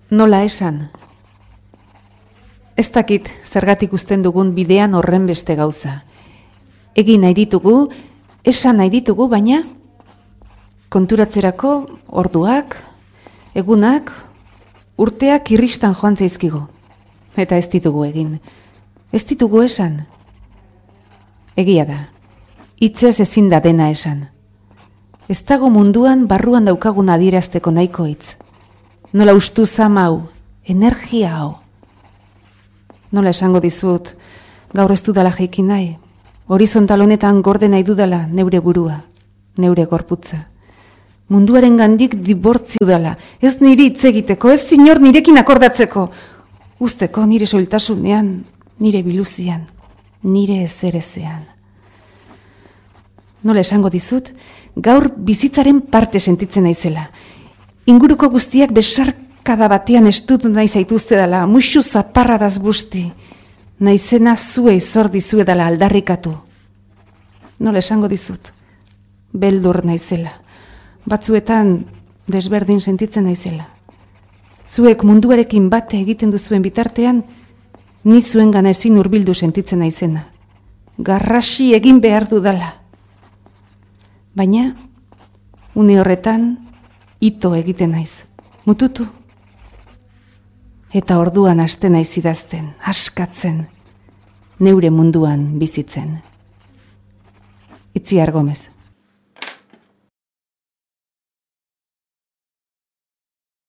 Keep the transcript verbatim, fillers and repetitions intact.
Nola esan? Ez dakit zergatik uzten dugun bidean horren beste gauza. Egin nahi ditugu, esan nahi ditugu, baina konturatzerako orduak, egunak, urteak irristan joan zaizkigu. Eta ez ditugu egin. Ez ditugu esan. Egia da. Hitzez ezin da dena esan. Ez dago munduan barruan daukagun adierazteko nahiko hitz. Nola ustu zama hau, energia hau. Nola esango dizut, gaur ez dudala jaiki nahi. Horizontal honetan gorde nahi dudala neure burua, neure gorputza. Munduaren gandik dibortzi dudala. Ez niri hitz egiteko, ez zinor nirekin akordatzeko. Uzteko nire soiltasunean, nire biluzian, nire ezerezean. Nola esango dizut, gaur bizitzaren parte sentitzen naizela. Inguruko guztiak besarkada batean estutu nahi zaituzte dela, musu zaparradaz busti. Naizena zuei zor dizuedala aldarrikatu. Nola esango dizut, beldur naizela. Batzuetan desberdin sentitzen naizela. Zuek munduarekin bate egiten duzuen bitartean, ni zuengana ezin hurbildu sentitzen naizena. Garrasi egin behar dudala. Baina, une horretan, ito egiten naiz. Mututu. Eta orduan hasten naiz idazten, askatzen, neure munduan bizitzen. Itziar Gomez.